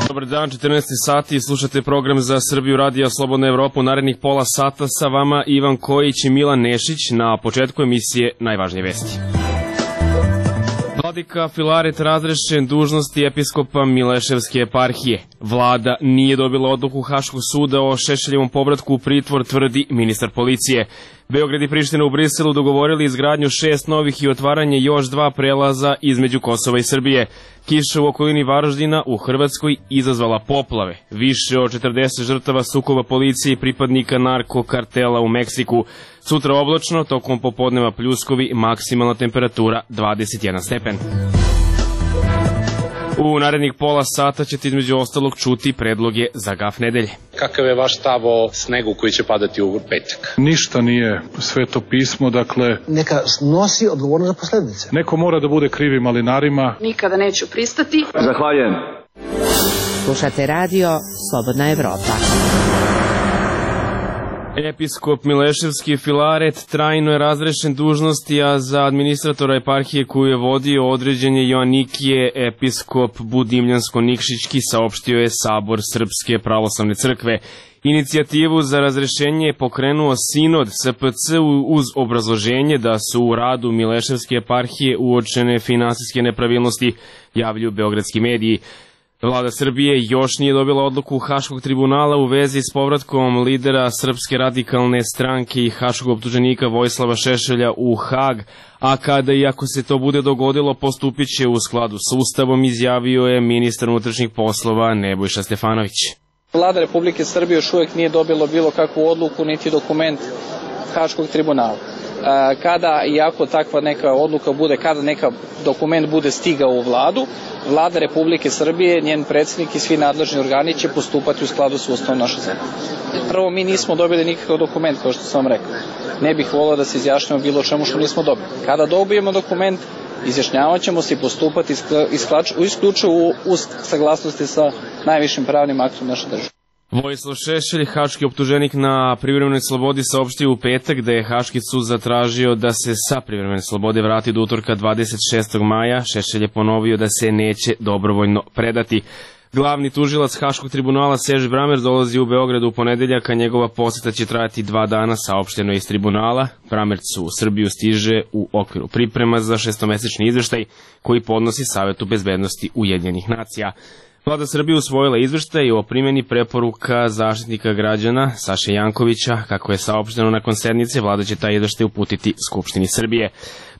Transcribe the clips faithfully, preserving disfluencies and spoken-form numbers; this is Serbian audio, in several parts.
Dobar dan, četrnaest sati, slušate program Za Srbiju Radija Slobodna Evropa. U narednih pola sata sa vama Ivan Kojić i Milan Nešić. Na početku emisije najvažnije vesti. Vladika Filaret razrešen dužnosti episkopa Mileševske eparhije. Vlada nije dobila odluku Haškog suda o Šešeljevom povratku u pritvor, tvrdi ministar policije. Beograd i Priština u Briselu dogovorili izgradnju šest novih i otvaranje još dva prelaza između Kosova i Srbije. Kiša u okolini Varaždina u Hrvatskoj izazvala poplave. Više od četrdeset žrtava sukoba policije i pripadnika narkokartela u Meksiku. Sutra oblačno, tokom popodneva pljuskovi, maksimalna temperatura dvadeset jedan stepen. U narednih pola sata ćete između ostalog čuti predloge za gaf nedelje. Kakav je vaš stav o snegu koji će padati u petak? Ništa nije sveto pismo, dakle... Neka nosi odgovornost za posledice. Neko mora da bude krivi malinarima. Nikada neću pristati. Zahvaljujem. Slušate radio Slobodna Evropa. Episkop Mileševski Filaret trajno je razrešen dužnosti, a za administratora eparhije koju je vodio određen je Joanikije, episkop Budimljansko-Nikšićki, saopštio je Sabor Srpske pravoslavne crkve. Inicijativu za razrešenje je pokrenuo Sinod S P C uz obrazloženje da su u radu Mileševske eparhije uočene finansijske nepravilnosti, javljaju beogradski mediji. Vlada Srbije još nije dobila odluku Haškog tribunala u vezi s povratkom lidera Srpske radikalne stranke i haškog optuženika Vojislava Šešelja u Hag, a kada i ako se to bude dogodilo postupit će u skladu s Ustavom, izjavio je ministar unutrašnjih poslova Nebojša Stefanović. Vlada Republike Srbije još uvijek nije dobila bilo kakvu odluku niti dokument Haškog tribunala. Kada i ako takva neka odluka bude, kada neka dokument bude stigao u vladu, Vlada Republike Srbije, njen predsjednik i svi nadležni organi će postupati u skladu s Ustavom naše zemlje. Prvo, mi nismo dobili nikakav dokument, kao što sam vam rekao. Ne bih volio da se izjašnjamo bilo čemu što nismo dobili. Kada dobijemo dokument, izjašnjavat ćemo se i postupati isključivo u saglasnosti sa najvišim pravnim aktom naše države. Vojislav Šešelj, haški optuženik na privremenoj slobodi, saopštio u petak da je Haški sud zatražio da se sa privremene slobode vrati do utorka dvadeset šestog maja. Šešelj je ponovio da se neće dobrovoljno predati. Glavni tužilac Haškog tribunala Serž Bramer dolazi u Beogradu u ponedeljak, a njegova poseta će trajati dva dana, saopšteno je iz tribunala. Bramerc u Srbiju stiže u okviru priprema za šestomesečni izveštaj koji podnosi Savetu bezbednosti Ujedinjenih nacija. Vlada Srbije usvojila izveštaj o primjeni preporuka Zaštitnika građana Saše Jankovića. Kako je saopšteno nakon sednice, vlada će taj izveštaj uputiti Skupštini Srbije.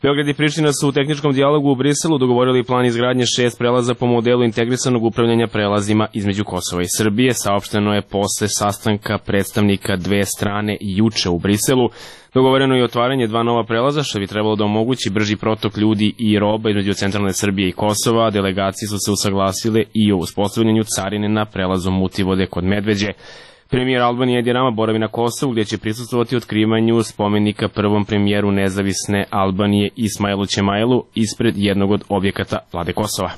Beograd i Priština su u tehničkom dijalogu u Briselu dogovorili plan izgradnje šest prelaza po modelu integrisanog upravljanja prelazima između Kosova i Srbije. Saopšteno je posle sastanka predstavnika dve strane juče u Briselu. Dogovoreno je otvaranje dva nova prelaza, što bi trebalo da omogući brži protok ljudi i roba između centralne Srbije i Kosova. Delegacije su se usaglasile i o uspostavljanju carine na prelazu Mutivode kod Medveđe. Premijer Albanije Edi Rama boravi na Kosovu, gdje će prisustvovati otkrivanju spomenika prvom premijeru nezavisne Albanije Ismailu Ćemailu ispred jednog od objekata vlade Kosova.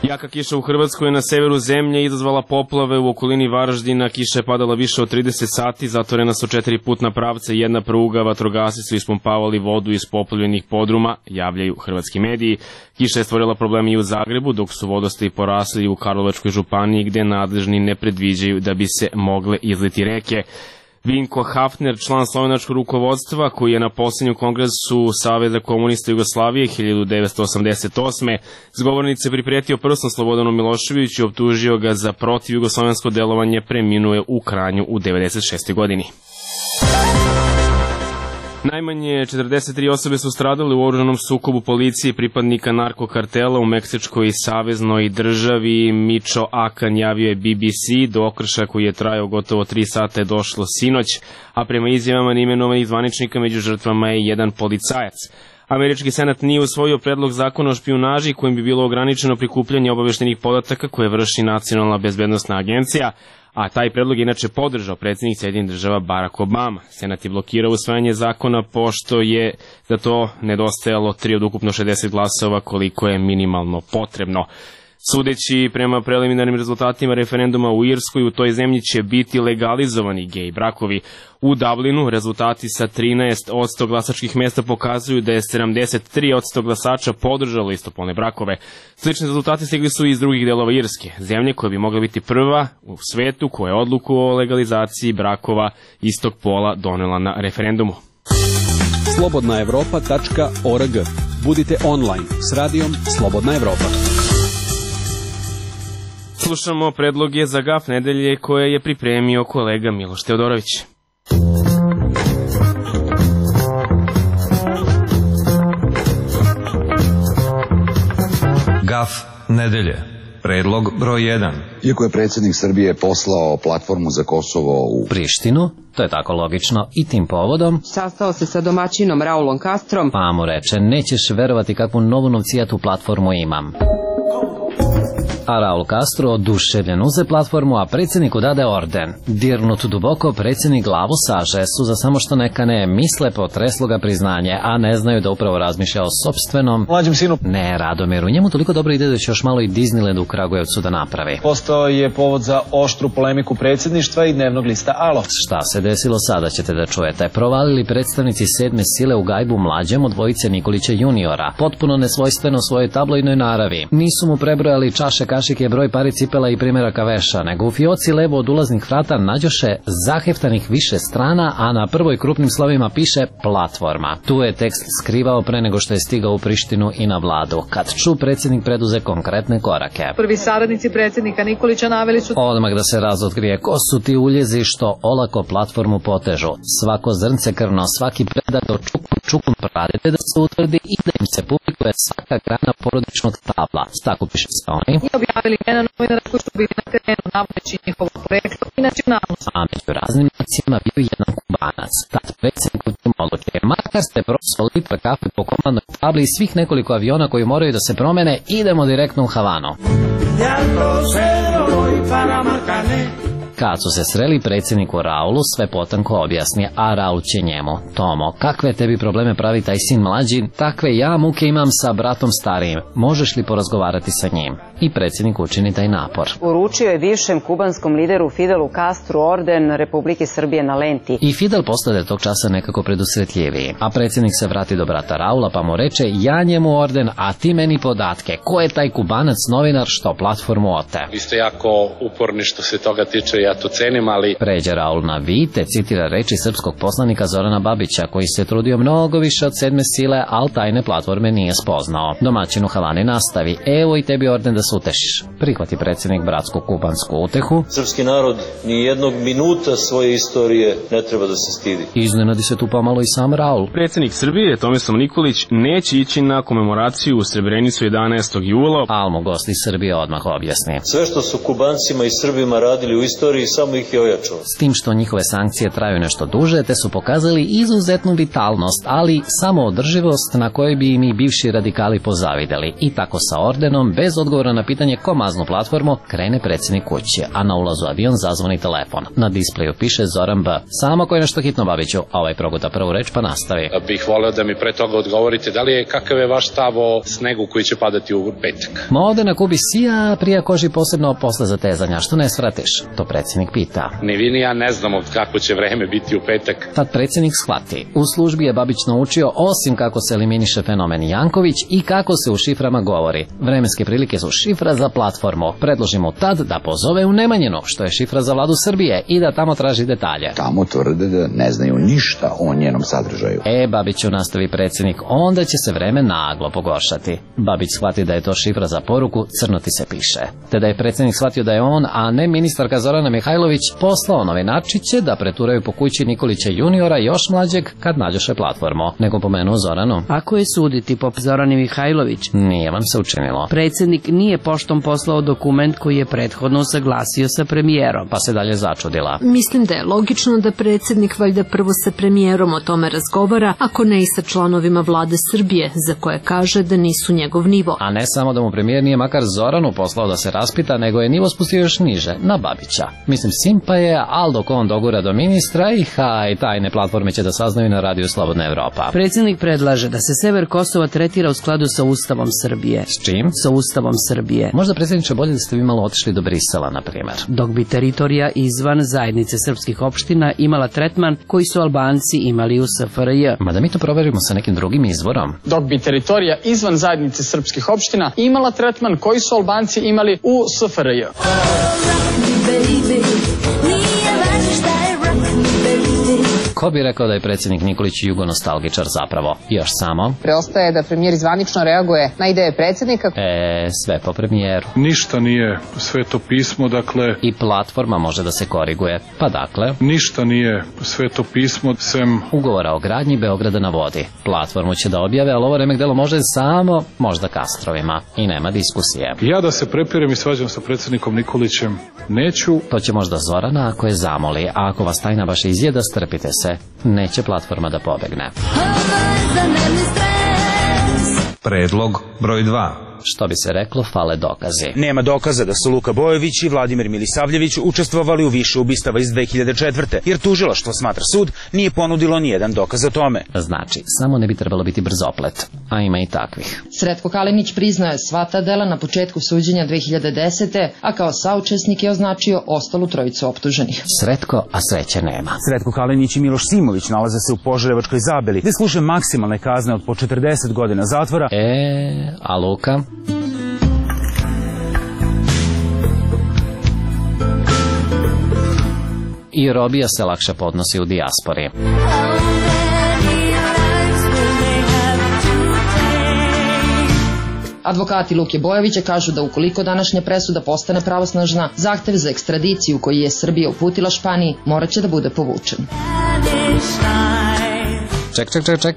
Jaka kiša u Hrvatskoj na severu zemlje izazvala poplave u okolini Varaždina. Kiša je padala više od trideset sati, zatvorena su četiri putna pravca i jedna pruga, vatrogasci su ispumpavali vodu iz poplavljenih podruma, javljaju hrvatski mediji. Kiša je stvorila probleme i u Zagrebu, dok su vodostaji porasli u Karlovačkoj županiji, gde nadležni ne predviđaju da bi se mogle izliti reke. Vinko Hafner, član slovenačkog rukovodstva, koji je na posljednjem kongresu Saveza komunista Jugoslavije hiljadu devetsto osamdeset osme s govornice pripretio prstom Slobodanu Miloševiću i optužio ga za protivjugoslovensko delovanje, preminuo je u Kranju u devedeset šestoj godini. Najmanje četrdeset tri osobe su stradale u oružanom sukobu policije i pripadnika narkokartela u Meksičkoj saveznoj državi. Mičo Akan javio je B B C. Do okršaja koji je trajao gotovo tri sata je došlo sinoć, a prema izjavama neimenovanih zvaničnika među žrtvama je jedan policajac. Američki senat nije usvojio predlog zakona o špijunaži kojim bi bilo ograničeno prikupljanje obaveštenih podataka koje vrši Nacionalna bezbednosna agencija, a taj predlog je inače podržao predsjednik Sjedinjenih Država Barack Obama. Senat je blokirao usvajanje zakona pošto je za to nedostajalo tri od ukupno šezdeset glasova koliko je minimalno potrebno. Sudeći prema preliminarnim rezultatima referenduma u Irskoj, u toj zemlji će biti legalizovani gej brakovi. U Dublinu rezultati sa trinaest posto glasačkih mesta pokazuju da je sedamdeset tri posto glasača podržalo istopolne brakove. Slični rezultati stigli su i iz drugih delova Irske, zemlje koja bi mogla biti prva u svetu koja je odluku o legalizaciji brakova istog pola donela na referendumu. slobodna evropa tačka org. Budite online s radijom Slobodna Evropa. Slušamo predloge za gaf nedelje koje je pripremio kolega Miloš Teodorović. Gaf nedelje. Predlog broj jedan. Iako je predsjednik Srbije poslao platformu za Kosovo u Prištinu, to je tako logično, i tim povodom Sastao se sa domaćinom Raulom Castrom, pa mu reče, nećeš verovati kakvu novu novcijatu platformu imam. A Raul Castro oduševljen uze platformu, a predsjedniku dade orden. Dirnut duboko, predsjednik glavu saže, suza samo što neka ne misle, potreslo ga priznanje, a ne znaju da upravo razmišlja o sopstvenom Mlađem sinu. Ne, Radomiru, njemu toliko dobro ide da će još malo i Disneyland u Kragujevcu da napravi. Postao je povod za oštru polemiku predsjedništva i dnevnog lista Alo. Šta se desilo sada ćete da čujete. Provalili predstavnici sedme sile u gajbu mlađem od dvojice Nikolića juniora, potpuno nesvojstveno svojoj tabloidnoj naravi. Nisu mu prebrojali čaše, kašike, broj pari cipela i primjeraka veša, nego u fioci levo od ulaznih vrata nađoše zaheftanih više strana, a na prvoj krupnim slovima piše platforma. Tu je tekst skrivao pre nego što je stigao u Prištinu i na vladu, kad ču predsjednik preduze konkretne korake. Prvi saradnici predsjednika Nikolića naveli su odmah da se razotkrije ko su ti uljezi što olako platformu potežu. Svako zrnce krvno, svaki predator čukun čukun pradete da se utvrdi i da im se publikuje svaka grana porodičnog stabla. Tako piše se oni. I objavili jedna novinara koji su bili na terenu navodeći njihovo poreklo i nacionalnost. A među raznim nacijama bio jedan Kubanac. Tad predsjednik u odluče, makar ste prosvali litra kafe po komandnoj tabli i svih nekoliko aviona koji moraju da se promene, idemo direktno u Havanu. Kad su se sreli, predsjedniku Raulu sve potanko objasni, a Raul će njemu: Tomo, kakve tebi probleme pravi taj sin mlađi, takve ja muke imam sa bratom starijim, možeš li porazgovarati sa njim? I predsjednik učini taj napor. Uručio je bivšem kubanskom lideru Fidelu Castru orden Republike Srbije na lenti. I Fidel postade tog časa nekako predusretljiviji, a predsjednik se vrati do brata Raula pa mu reče: ja njemu orden, a ti meni podatke. Ko je taj Kubanac novinar što platformu ote? Vi ste jako uporni što se toga tiče, ja to cenim, ali... Pređe Raul na vi, te citira reči srpskog poslanika Zorana Babića, koji se trudio mnogo više od sedme sile, al tajne platforme nije spoznao. Domaćin u Havani nastavi: evo i tebi orden da se utešiš. Prihvati predsjednik bratsku kubansku utehu. Srpski narod ni jednog minuta svoje istorije ne treba da se stidi. Iznenadi se tu pomalo i sam Raul. Predsjednik Srbije Tomislav Nikolić neće ići na komemoraciju u Srebrenicu jedanaestog jula. Al mu gost iz Srbije odmah objasni: sve što su Kubancima i Srbima radili u istoriji samo ih je ojačalo. S tim što njihove sankcije traju nešto duže, te su pokazali izuzetnu vitalnost, ali samoodrživost na kojoj bi im i bivši radikali pozavideli. I tako sa ordenom, bez odgovora na pitanje ko maznu platformu, krene predsjednik kući, a na ulazu avion zazvoni telefon. Na displeju piše Zoran B. Samo ko je nešto hitno, Babiću. Ovaj proguta prvu reč pa nastavi. Bih voleo da mi pre toga odgovorite da li je, kakav je vaš stav o snegu koji će padati u petak? Ma ovde na Kubi sija, prija koži posebno posle zatezanja, što ne svratiš? To predsjednik pita. Ni vi ni ja ne znamo kako će vreme biti u petak. Tad predsjednik shvati. U službi je Babić naučio osim kako se eliminiše fenomen Janković i kako se u šiframa govori. Vremenske prilike su šifra za platformu. Predložimo tad da pozove u Nemanjinu, što je šifra za vladu Srbije, i da tamo traži detalje. Tamo tvrde da ne znaju ništa o njenom sadržaju. E, Babiću, nastavi predsjednik, onda će se vreme naglo pogoršati. Babić shvati da je to šifra za poruku, crno ti se piše. Te da je predsjednik shvatio da je on, a ne ministarka Zorana Mihajlović, poslao novinarčiće da preturaju po kući Nikolića juniora još mlađeg kad nađoše platformu. Nego pomenuo Zoranu. Ako je suditi po Zorani Mihajlović, nije vam se učinilo. Predsjednik nije poštom poslao dokument koji je prethodno saglasio sa premijerom. Pa se dalje začudila. Mislim da je logično da predsjednik valjda prvo sa premijerom o tome razgovara, ako ne i sa članovima vlade Srbije, za koje kaže da nisu njegov nivo. A ne samo da mu premijer nije makar Zoranu poslao da se raspita, nego je nivo spustio još niže, na Babića. Mislim, simpa je, ali dok on dogura do ministra i haj, tajne platforme će da saznaju na radiju Slobodna Evropa. Predsjednik predlaže da se sever Kosova tretira u skladu sa Ustavom Srbije. S čim? Sa Ustavom Srbije. Možda, predsjedniče, bolje da ste vi malo otišli do Brisela, na primjer. Dok bi teritorija izvan zajednice srpskih opština imala tretman koji su Albanci imali u S F R J. Ma da mi to proverimo sa nekim drugim izvorom. Dok bi teritorija izvan zajednice srpskih opština imala tretman koji su Albanci imali u S F R J. Ko bi rekao da je predsjednik Nikolić jugonostalgičar zapravo? Još samo. Preostaje da premijer zvanično reaguje na ideje predsjednika. E, sve po premijeru. Ništa nije sveto pismo, dakle... I platforma može da se koriguje. Pa dakle... Ništa nije sveto pismo, sem... Ugovora o gradnji Beograda na vodi. Platformu će da objave, ali ovo remek delo može samo, možda Kastrovima. I nema diskusije. Ja da se prepirem i svađam sa predsjednikom Nikolićem neću. To će možda Zorana ako je zamoli, a ako vas tajna baš izjeda, strpite se. Neće platforma da pobegne. Predlog broj dva. Što bi se reklo, fale dokazi. Nema dokaza da su Luka Bojović i Vladimir Milisavljević učestvovali u više ubistava iz dve hiljade četvrte. jer tužilaštvo, smatra sud, nije ponudilo nijedan dokaz o tome. Znači, samo ne bi trebalo biti brzoplet, a ima i takvih. Sretko Kalinić priznao je sva ta dela na početku suđenja dve hiljade desete. a kao saučesnik je označio ostalu trojicu optuženih. Sretko, a sreće nema. Sretko Kalinić i Miloš Simović nalaze se u Požarevačkoj Zabeli, gde služe maksimalne kazne od po četrdeset godina zatvora. E, a Luka? I robija se lakše podnosi u dijaspori. Advokati Luke Bojovića kažu da ukoliko današnja presuda postane pravosnažna, zahtev za ekstradiciju koji je Srbija uputila Španiji morat će da bude povučen. Ček, ček, ček, ček.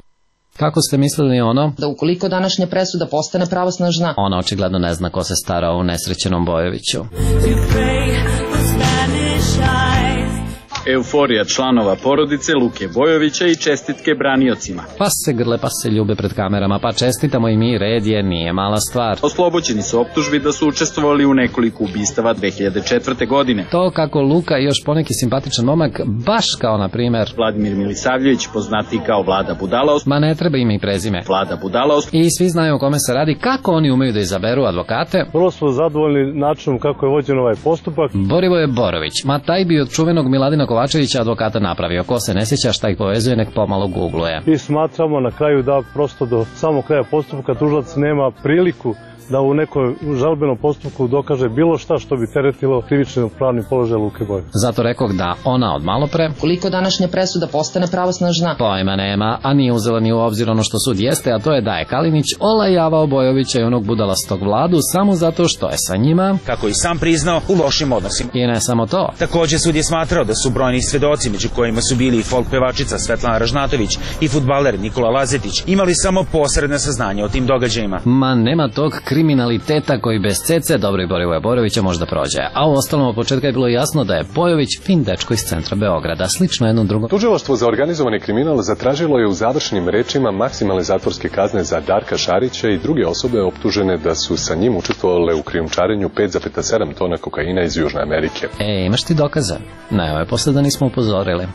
Kako ste mislili ono? Da ukoliko današnja presuda postane pravosnažna, ona očigledno ne zna ko se stara o nesrećenom Bojoviću. Euforija članova porodice Luke Bojovića i čestitke braniocima. Pa se grle, pa se ljube pred kamerama, pa čestitamo i mi, red je, nije mala stvar. Oslobođeni su optužbi da su učestvovali u nekoliko ubistava dve hiljade četvrte. godine. To kako Luka i još poneki simpatičan momak, baš kao na primer Vladimir Milisavljević, poznatiji kao Vlada Budala. Ma ne treba ime i prezime. Vlada Budala. I svi znaju o kome se radi, kako oni umeju da izaberu advokate. Vrlo smo zadovoljni načinom kako je vođen ovaj postupak. Borivoje Borović, ma taj bi od čuvenog Miladina Kovačevića advokata napravio. Ko se ne sjeća šta ih povezuje, nek pomalo googluje. I smatramo na kraju da prosto do samog kraja postupka tužilac nema priliku da u nekoj žalbenom postupku dokaže bilo šta što bi teretilo krivični pravni položaj Luke Bojovića. Zato rekao da ona od malo pre, koliko današnja presuda postane pravosnažna, pojma nema, a nije uzela ni u obzir ono što sud jeste, a to je da je Kalinić olajavao Bojovića i onog budalastog Vladu samo zato što je sa njima, kako i sam priznao, u lošim odnosima. I ne samo to. Takođe sud je smatrao da su brojni svedoci, među kojima su bili i folk pevačica Svetlana Ražnatović i fudbaler Nikola Lazetić, imali samo posredne saznanja o tim događajima. Ma nema tog kriminaliteta koji bez cece dobro i Borivoja Borovića možda prođe. A u ostalom od početka je bilo jasno da je Bojović fin dečko iz centra Beograda, slično jednom drugom. Tužilaštvo za organizovani kriminal zatražilo je u završnim rečima maksimalne zatvorske kazne za Darka Šarića i druge osobe optužene da su sa njim učestvovale u krijumčarenju pet zarez sedam tona kokaina iz Južne Amerike. E, imaš ti dokaze? Ne, ovo je posle da nismo upozorili.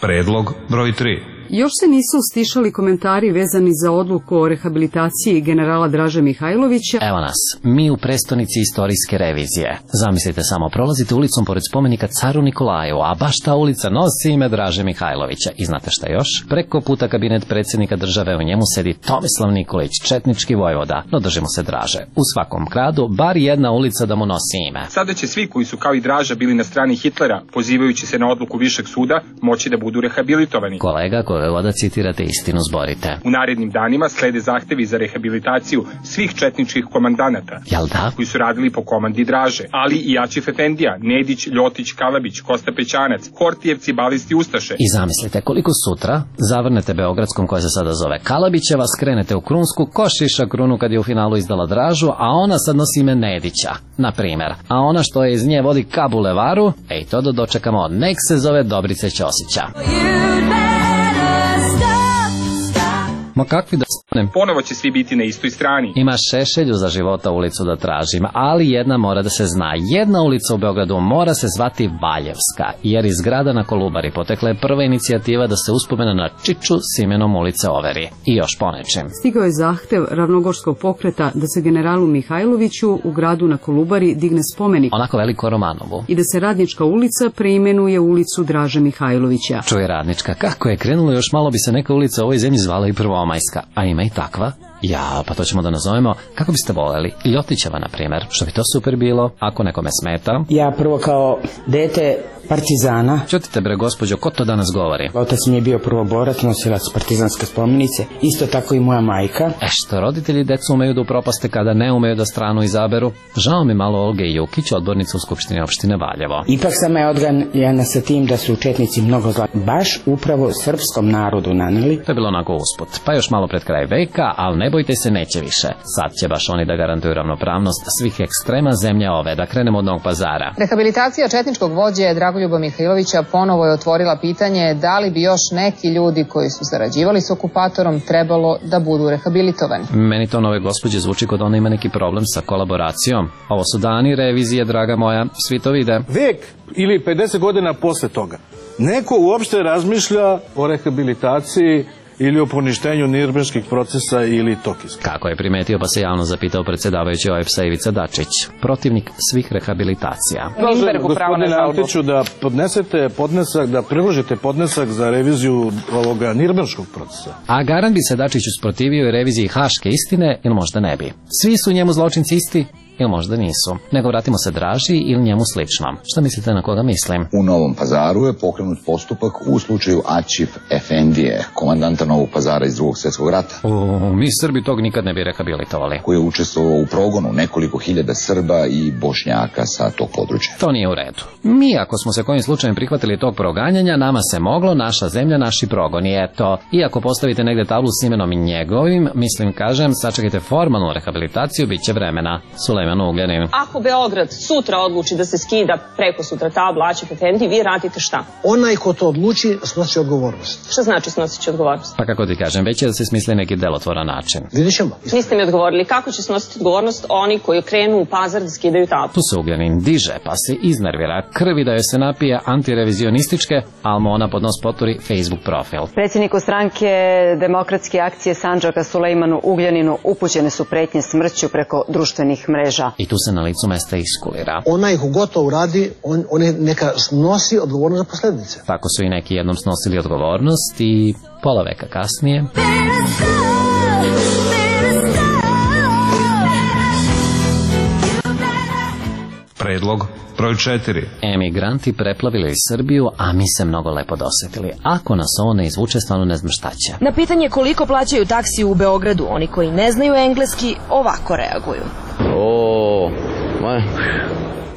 Predlog broj tri. Još se nisu stišali komentari vezani za odluku o rehabilitaciji generala Draže Mihajlovića. Evo nas, mi u prestonici istorijske revizije. Zamislite samo, prolazite ulicom pored spomenika caru Nikolaju, a baš ta ulica nosi ime Draže Mihajlovića. I znate šta još? Preko puta kabinet predsjednika države, u njemu sedi Tomislav Nikolić, četnički vojvoda. No držimo se Draže. U svakom gradu bar jedna ulica da mu nosi ime. Sada će svi koji su kao i Draža bili na strani Hitlera, pozivajući se na odluku višeg suda, moći da budu rehabilitovani. Kolega, da citirate istinu, zborite. U narednim danima slede zahtevi za rehabilitaciju svih četničkih komandanata, jel da? Koji su radili po komandi Draže, ali i Ačif Efendija, Nedić, Ljotić, Kalabić, Kosta Pećanac, Hortijevci, Balisti, Ustaše. I zamislite koliko sutra zavrnete Beogradskom, koja se sada zove Kalabićeva, skrenete u Krunsku, ko šiša Krunu kad je u finalu izdala Dražu, a ona sad nosi ime Nedića, na primer. A ona što je iz nje vodi ka bulevaru, ej to da dočekamo, nek se zove Dobrice Ćosića. Ma kakvi da stanem? Ponovo će svi biti na istoj strani. Ima Šešelju za života ulicu da tražim, ali jedna mora da se zna. Jedna ulica u Beogradu mora se zvati Valjevska, jer iz grada na Kolubari potekla je prva inicijativa da se uspomena na Čiču s imenom ulice overi. I još ponečem. Stigao je zahtev ravnogorskog pokreta da se generalu Mihajloviću u gradu na Kolubari digne spomenik. Onako veliko Romanovu. I da se Radnička ulica preimenuje u ulicu Draže Mihajlovića. Čuje Radnička, kako je krenulo, još malo bi se neka ulica u ovoj zemlji zvala i Prvomajska, a ima i takva. Ja, pa to ćemo da nazovemo, kako biste voleli, Ljotićeva, na primjer, što bi to super bilo, ako nekome smeta. Ja prvo kao dete partizana. Ćutite bre, gospođo, ko to danas govori? Otac mi je bio prvoborac, nosilac partizanske spomenice, isto tako i moja majka. E što, roditelji decu umeju da upropaste kada ne umeju da stranu izaberu? Žao mi malo Olge Jukić, odbornica u Skupštini opštine Valjevo. Ipak sam je odganjana sa tim da su četnici mnogo zla, baš upravo srpskom narodu naneli. To je bilo onako usput, pa još malo pred kraj veka, ali ne bojte se, neće više. Sad će baš oni da garantuju ravnopravnost svih ekstrema zemlje ove. Da krenemo od Novog Pazara. Rehabilitacija četničkog vođe Dragoljuba Mihajlovića ponovo je otvorila pitanje da li bi još neki ljudi koji su zarađivali s okupatorom trebalo da budu rehabilitovani. Meni to nove gospođe zvuči kod ona ima neki problem sa kolaboracijom. Ovo su dani revizije, draga moja, svi to vide. Vek ili pedeset godina posle toga neko uopšte razmišlja o rehabilitaciji ili o poništenju nirnberških procesa ili Tokijskih. Kako je primetio, pa se javno zapitao predsjedavajući O E P S-a Ivica Dačić, protivnik svih rehabilitacija. Kažem, gospodine Antiću, da podnesete podnesak, da priložite podnesak za reviziju ovoga nirnberškog procesa. A garant bi se Dačić usprotivio i reviziji haške istine, ili možda ne bi. Svi su njemu zločinci isti, ili možda nisu. Nego vratimo se Draži ili njemu slično. Šta mislite na koga mislim? U Novom Pazaru je pokrenut postupak u slučaju Aćif Efendije, komandanta Novog Pazara iz drugog svjetskog rata. O, mi Srbi tog nikad ne bi rehabilitovali. Koji je učestvovao u progonu nekoliko hiljada Srba i Bošnjaka sa tog područja. To nije u redu. Mi, ako smo se kojim slučajem prihvatili tog proganjanja, nama se moglo, naša zemlja, naši progoni. Eto, iako postavite negde tablu s imenom i njegovim, mislim, kažem, sačekajte formalnu rehabilitaciju, bit će vremena. Sulejman Ugljanin. Ako Beograd sutra odluči da se skida preko sutra tabla Aćif Efendi, vi radite šta? Onaj ko to odluči snosi odgovornost. Šta znači snositi odgovornost? Pa kako ti kažem, već je da se smisli neki delotvoran način. Vidjet ćemo. Niste mi odgovorili kako će snositi odgovornost oni koji krenu u Pazar da skidaju tablu. Tu se Ugljanin diže, pa se iznervira, krvi da joj se napije antirevizionističke, ali mu ona pod nos poturi Facebook profil. Predsjedniku stranke Demokratske akcije Sandžaka Sulejmanu Ugljaninu upućene su pretnje smrću preko društvenih mreža. I tu se na licu mesta iskulira. Onaj ko gotovo uradi, on, on je neka snosi odgovornost za posljedice. Tako su i neki jednom snosili odgovornost i pola veka kasnije... Predlog broj četiri. Emigranti preplavili Srbiju, a mi se mnogo lepo dosetili. Ako nas ovo ne izvuče, stvarno ne znam šta će. Na pitanje koliko plaćaju taksi u Beogradu, oni koji ne znaju engleski ovako reaguju. O, ma...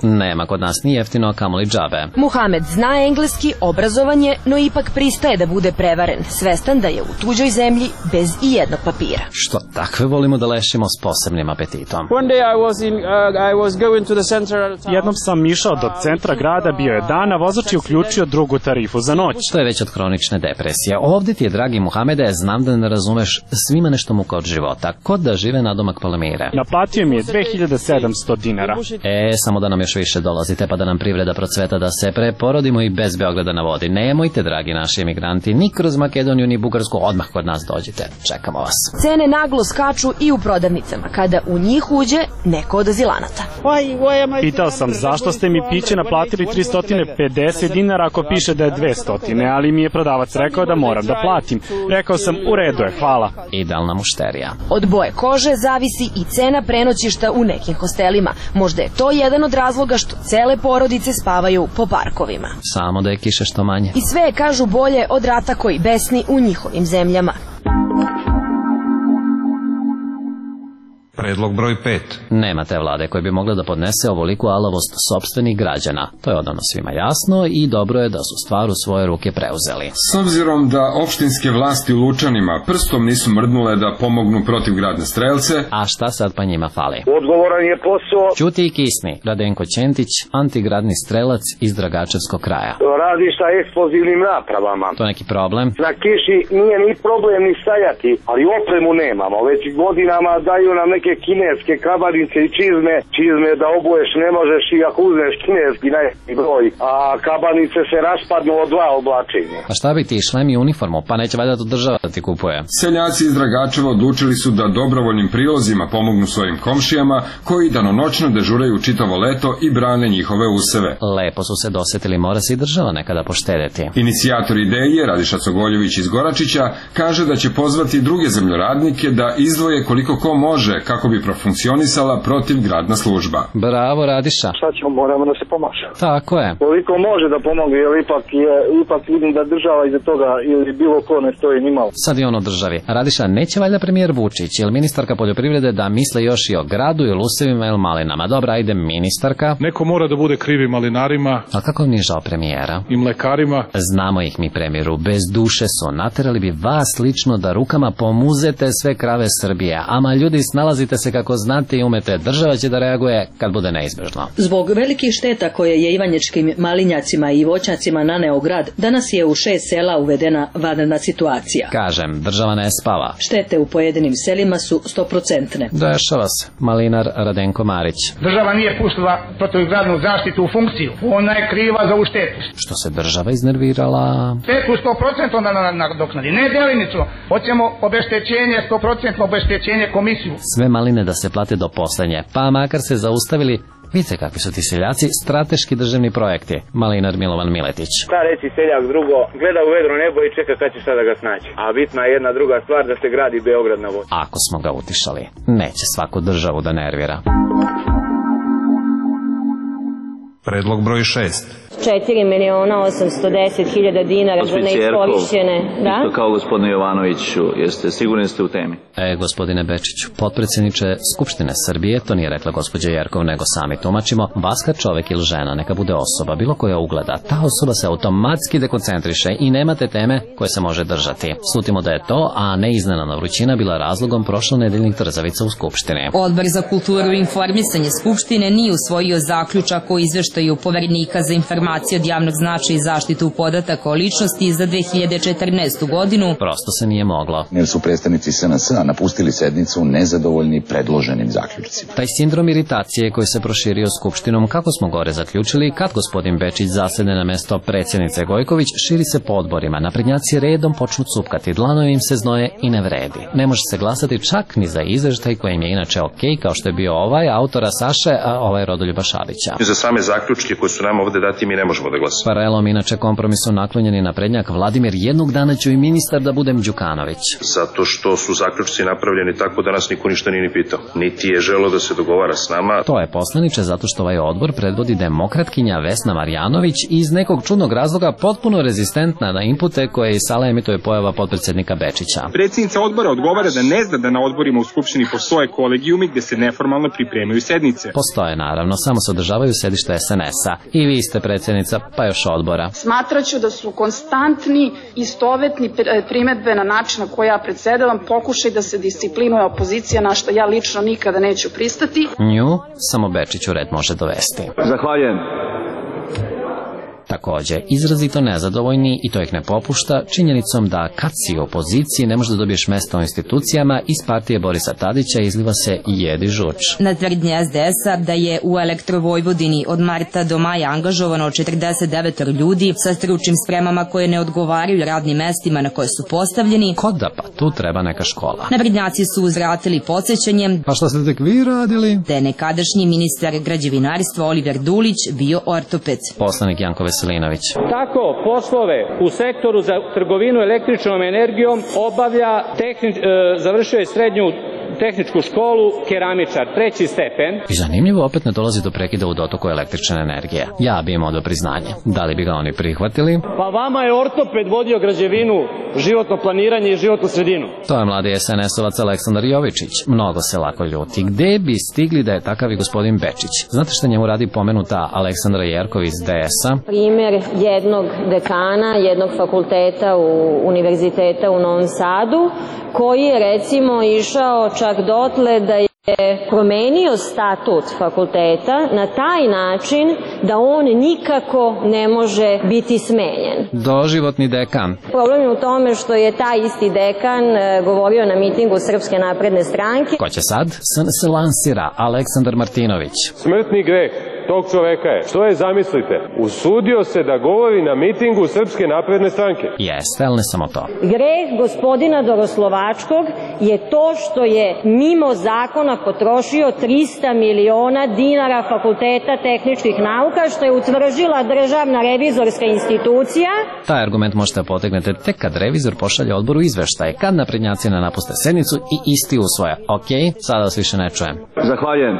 Nema kod nas ni jeftino, a kamoli džabe. Muhamed zna engleski, obrazovan je, no ipak pristaje da bude prevaren, svestan da je u tuđoj zemlji bez i jednog papira. Što takve volimo da lešimo s posebnim apetitom. Jednom sam išao do centra grada, bio je dan, a vozač je uključio drugu tarifu za noć. To je već od kronične depresije. Ovdje ti je, dragi Muhamede, znam da ne razumeš, svima nešto muka od života, kod da žive nadomak Palmire. Naplatio mi je dve hiljade sedamsto dinara. E, samo da nam još više dolazite, pa da nam privreda procveta, da se preporodimo i bez Beograda na vodi. Nemojte, dragi naši emigranti, ni kroz Makedoniju ni Bugarsku, odmah kod nas dođite. Čekamo vas. Cene naglo skaču i u prodavnicama, kada u njih uđe neko od azilanata. Pitao sam zašto ste mi piće naplatili tristo pedeset dinara ako piše da je dvesta, ali mi je prodavac rekao da moram da platim. Rekao sam, u redu je, hvala. Idealna mušterija. Od boje kože zavisi i cena prenoćišta u nekim hostelima. Možda je to jedan od razloga što cele porodice spavaju po parkovima. Samo da je kiše što manje. I sve je, kažu, bolje od rata koji besni u njihovim zemljama. Predlog broj pet. Nema te vlade koja bi mogla da podnese ovoliku alavost sopstvenih građana. To je odavno svima jasno i dobro je da su stvar u svoje ruke preuzeli. S obzirom da opštinske vlasti u Lučanima prstom nisu mrdnule da pomognu protiv gradne strelce... A šta sad pa njima fali? Odgovoran je posao... Ćuti i kisni. Radenko Ćentić, antigradni strelac iz Dragačevskog kraja. Radi sa eksplozivnim napravama. To neki problem? Na kiši nije ni problem ni stajati, ali opremu nemamo. Već godinama daju nam neke kineske kabanice i čizme. Čizme da obuješ ne možeš i ako uzmeš kineski najveći broj. A kabanice se raspadnu od dva oblačenja. A šta bi ti, šlem i uniformu? Pa neće valjda to država da ti kupuje. Seljaci iz Dragačeva odlučili su da dobrovoljnim prilozima pomognu svojim komšijama koji danonoćno dežuraju čitavo leto i brane njihove useve. Lepo su se dosetili, mora se i država nekada poštedeti. Inicijator ideje, Radiša Cogoljević iz Goračića, kaže da će pozvati druge zemljoradnike da izdvoje koliko ko može kako bi profunkcionisala protivgradna služba. Bravo, Radiša. Šta ćemo, moramo da se pomaša. Tako je. Koliko može da pomogne, jer ipak, je, ipak vidim da država iza toga ili bilo ko ne stoji ni malo. Sad je on o državi. Radiša, neće valjda premijer Vučić ili ministarka poljoprivrede da misle još i o gradu ili usevima ili malinama? Dobra, ajde ministarka. Neko mora da bude krivi malinarima. A kako mi je žao premijera? I mlekarima. Znamo ih mi, premijeru, bez duše su. Naterali bi vas lično da rukama pomuzete sve krave Srbije. Ama ljudi, snalazite se kako znate i umete. Država će da reaguje kad bude neizbežno. Zbog velikih šteta koje je ivanjičkim malinjacima i voćnjacima naneo grad, danas je u šest sela uvedena vanredna situacija. Kažem, država ne spava. Štete u pojedinim selima su stoprocentne. Dešava se. Malinar Radenko Marić. Država nije pustila protivgradnu zaštitu u funkciju. Ona je kriva za ovu štetu. Što se država iznervirala? Štetu sto procenti nadoknadi, ne delinicu. Hoćemo obeštećenje, sto procenti obeštećenje komisiju. Sve maline da se plate do poslednje, pa makar se zaustavili. Vidite kakvi su ti seljaci, strateški državni projekti. Malinar Milovan Miletić. Šta reći seljak drugo, gleda u vedro nebo i čeka kad će šta da ga snaći. A bitna je jedna druga stvar, da se gradi Beograd na vodi. Ako smo ga utišali, neće svaku državu da nervira. Predlog broj šest. četiri miliona osamsto deset hiljada dinara za neiskorišćene. Da? Isto kao gospodine Jovanoviću, jeste sigurni ste u temi? E, gospodine Bečiću, potpredsjedniče Skupštine Srbije, to nije rekla gospođa Jerkov, nego sami tumačimo, vas kad čovek ili žena, neka bude osoba, bilo koja ugleda, ta osoba se automatski dekoncentriše i nemate teme koje se može držati. Slutimo da je to, a ne iznenadna vrućina bila razlogom prošlonedeljnih trzavica u Skupštini. Odbor za kulturu i informisanje Skupštine nije usvojio zaključak o izveštaju Poverenika za informacije od javnog značaja i zaštitu podataka o ličnosti za dve hiljade četrnaestu godinu. Prosto se nije moglo. Jer su predstavnici S N S-a napustili sednicu nezadovoljni predloženim zaključcima. Taj sindrom iritacije koji se proširio Skupštinom, kako smo gore zaključili, kad gospodin Bečić zasede na mesto predsjednice Gojković, širi se po odborima. Naprednjaci redom počnu cupkati, dlanovi im se znoje i ne vredi. Ne može se glasati čak ni za izveštaj koji im je inače ok, kao što je bio ovaj autora Saše, a ovaj Rodoljuba Šabića. Za same zaključke koje su nam ovde dati mi ne možemo da glasamo. Paralelom inače kompromisu naklonjeni naprednjak Vladimir, jednog dana ću i ministar da budem Đukanović. Zato što su zaključci napravljeni tako da nas niko ništa nije ni pitao. Niti je želo da se dogovara s nama. To je poslaniče zato što ovaj odbor predvodi demokratkinja Vesna Marjanović i iz nekog čudnog razloga potpuno rezistentna na inpute koje iz sala emituje pojava potpredsjednika Bečića. Predsjednica odbora odgovara da ne zna da na odborima u Skupštini postoje kolegijumi gde se neformalno pripremaju sednice. Postoje naravno, samo se održavaju sedišta S N S-a. I vi ste predsjednica, pa još odbora. Smatraću da su konstantni, istovetni primedbe na način na koji ja predsedavam, pokušaj da se disciplinuje opozicija, na što ja lično nikada neću pristati. Nju samo Bečiću red može dovesti. Zahvaljujem. Takođe, izrazito nezadovoljni, i to ih ne popušta, činjenicom da kad si u opoziciji ne možeš da dobiješ mesto u institucijama, iz partije Borisa Tadića izliva se i jedi žuč. Na tvrdnje S D S-a da je u Elektrovojvodini od marta do maja angažovano četrdeset devet ljudi sa stručnim spremama koje ne odgovaraju radnim mestima na koje su postavljeni. Kod da pa, tu treba neka škola. Naprednjaci su uzvratili podsjećanjem. Pa šta ste tek vi radili? Da je nekadašnji ministar građevinarstva Oliver Dulić bio ortoped. Poslanik Janko Veselinović. Tako poslove u sektoru za trgovinu električnom energijom obavlja tehnič, e, završio je srednju tehničku školu, keramičar, treći stepen. I zanimljivo, opet ne dolazi do prekida u dotoku električne energije. Ja bi imao do priznanje. Da li bi ga oni prihvatili? Pa vama je ortoped vodio građevinu, životno planiranje i životnu sredinu. To je mladi es en esovac Aleksandar Jovičić. Mnogo se lako ljuti. Gde bi stigli da je takav i gospodin Bečić? Znate šta njemu radi pomenuta Aleksandra Jerkov iz de es-a? Primer jednog dekana, jednog fakulteta u Univerziteta u Novom Sadu, koji je recimo išao čak dotle da je promenio statut fakulteta na taj način da on nikako ne može biti smenjen. Doživotni dekan. Problem je u tome što je taj isti dekan govorio na mitingu Srpske napredne stranke. Ko će sad? Sad se lansira Aleksandar Martinović. Smrtni greh tog čoveka je, što je, zamislite, usudio se da govori na mitingu Srpske napredne stranke. Jeste, ali ne samo to. Greh gospodina Doroslovačkog je to što je mimo zakona potrošio trista miliona dinara Fakulteta tehničkih nauka, što je utvrdila Državna revizorska institucija. Taj argument možete potegnete tek kad revizor pošalje odboru izveštaje, kad naprednjaci ne napuste sednicu i isti usvoje. Ok, sada vas više ne čujem. Zahvaljujem.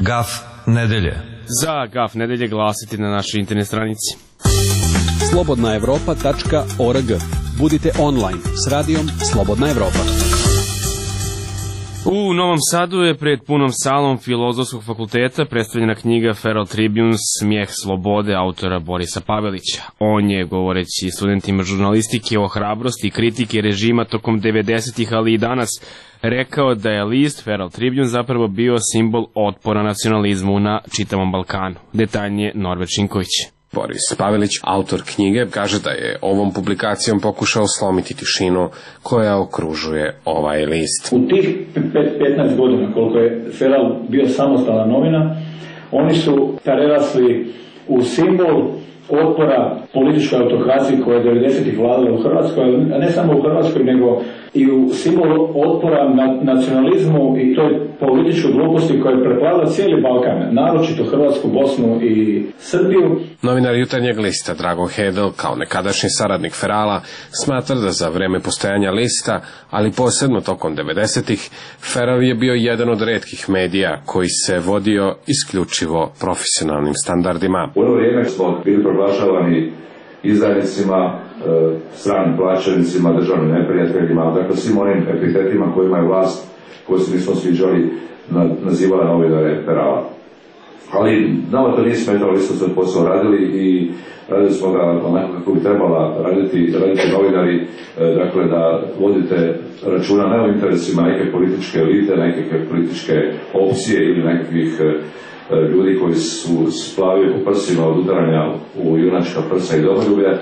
Gaf nedelje. Za Gaf nedelje glasiti na našoj internet stranici slobodna evropa tačka org. Budite online s radijom Slobodna Evropa. U Novom Sadu je pred punom salom Filozofskog fakulteta predstavljena knjiga Feral Tribune Smijeh slobode autora Borisa Pavelića. On je, govoreći studentima žurnalistike o hrabrosti i kritike režima tokom devedesetih, ali i danas, rekao da je list Feral Tribune zapravo bio simbol otpora nacionalizmu na čitavom Balkanu. Detaljnije Norbert Šinković. Boris Pavelić, autor knjige, kaže da je ovom publikacijom pokušao slomiti tišinu koja okružuje ovaj list. U tih petnaest godina koliko je Feral bio samostalna novina, oni su prerasli u simbol otpora političkoj autokraciji koja je devedesetih vladala u Hrvatskoj, a ne samo u Hrvatskoj, nego i u simbol otpora na nacionalizmu i toj političkoj gluposti koja je preplavila cijeli Balkan, naročito Hrvatsku, Bosnu i Srbiju. Novinar Jutarnjeg lista Drago Hedel, kao nekadašnji saradnik Ferala, smatra da za vreme postojanja lista, ali posebno tokom devedesetih, Feral je bio jedan od retkih medija koji se vodio isključivo profesionalnim standardima. U ono vrijeme smo bili proglašavani izdajnicima, stranim plaćenicima, državnim neprijateljima, dakle svim onim epitetima kojima je vlast, koju se nismo sviđali, nazivala novinare Ferala. Ali nama to nije smetalo, mi smo svoj posao radili i radili smo ga onako kako bi trebala raditi, raditi novinari, dakle da vodite računa ne o interesima neke političke elite, neke političke opcije ili nekakvih ljudi koji su splavili po prsima od udaranja u junačka prsa i domoljublja,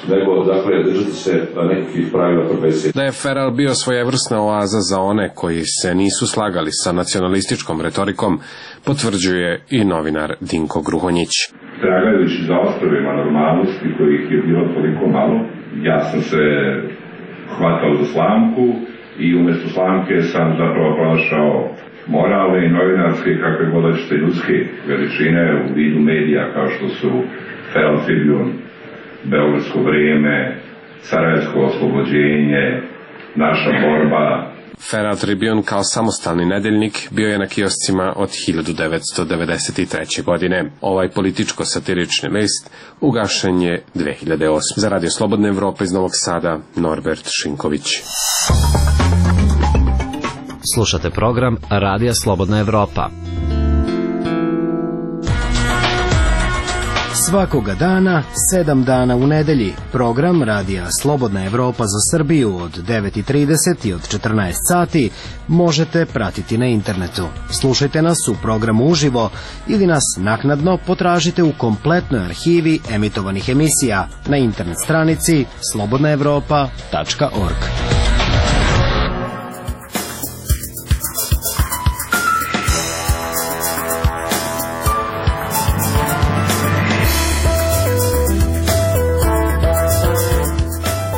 nego, dakle, držati se nekakvih pravila profesije. Da je Feral bio svojevrsna oaza za one koji se nisu slagali sa nacionalističkom retorikom, potvrđuje i novinar Dinko Gruhonjić. Tragajući za ostrovima normalnosti kojih je bilo toliko malo, ja sam se hvatao za slamku i umjesto slamke sam zapravo pronašao moralne i novinarske, kakve god hoćete, ljudske veličine u vidu medija kao što su Feral Tribune, Beogradsko vrijeme, Sarajevsko oslobođenje, Naša borba. Feral Tribune kao samostalni nedeljnik bio je na kioscima od hiljadu devetsto devedeset treće. godine. Ovaj političko-satirični list ugašen je dve hiljade osme. Za Radio Slobodna Evropa iz Novog Sada, Norbert Šinković. Slušate program Radija Slobodna Evropa. Svakoga dana, sedam dana u nedelji, program Radija Slobodna Evropa za Srbiju od devet i trideset i od četrnaest sati možete pratiti na internetu. Slušajte nas u programu uživo ili nas naknadno potražite u kompletnoj arhivi emitovanih emisija na internet stranici slobodna evropa tačka org.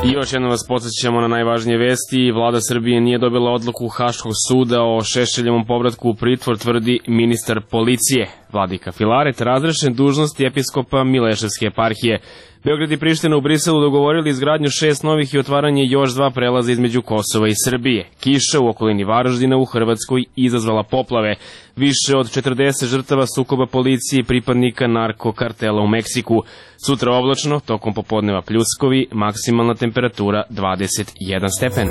I još jednom vas podsjećamo na najvažnije vesti. Vlada Srbije nije dobila odluku Haškog suda o Šešeljevom povratku u pritvor, tvrdi ministar policije. Vladika Filaret razrešen dužnosti episkopa Mileševske eparhije. Beograd i Priština u Briselu dogovorili izgradnju šest novih i otvaranje još dva prelaza između Kosova i Srbije. Kiša u okolini Varaždina u Hrvatskoj izazvala poplave. Više od četrdeset žrtava sukoba policije i pripadnika narkokartela u Meksiku. Sutra oblačno, tokom popodneva pljuskovi, maksimalna temperatura dvadeset jedan stepen.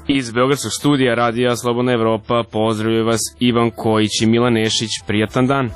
Iz Beogradskog studija Radija Slobodna Evropa pozdravljaju vas Ivan Kojić i Milan Nešić. Prijatan dan.